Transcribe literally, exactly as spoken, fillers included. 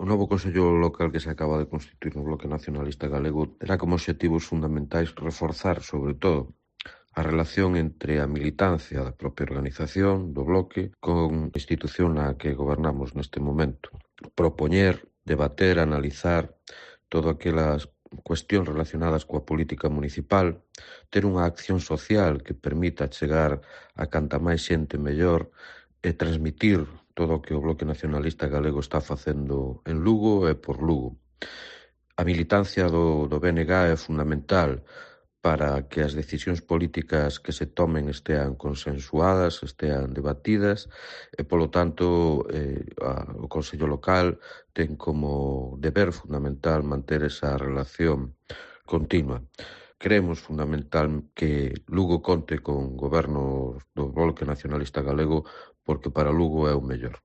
O novo Consello Local que se acaba de constituír no Bloque Nacionalista Galego terá como obxectivos fundamentais reforzar, sobre todo, a relación entre a militancia da propia organización do Bloque con a institución na que gobernamos neste momento. Propoñer, debater, analizar todo aquelas cuestións relacionadas coa política municipal, ter unha acción social que permita chegar a canta máis xente mellor e transmitir todo o que o Bloque Nacionalista Galego está facendo en Lugo e por Lugo. A militancia do, do B N G é fundamental para que as decisións políticas que se tomen estean consensuadas, estean debatidas e, polo tanto, eh, a, o Consello Local ten como deber fundamental manter esa relación continua. Creemos fundamental que Lugo conte con goberno do Bloque Nacionalista Galego porque para Lugo é o mellor.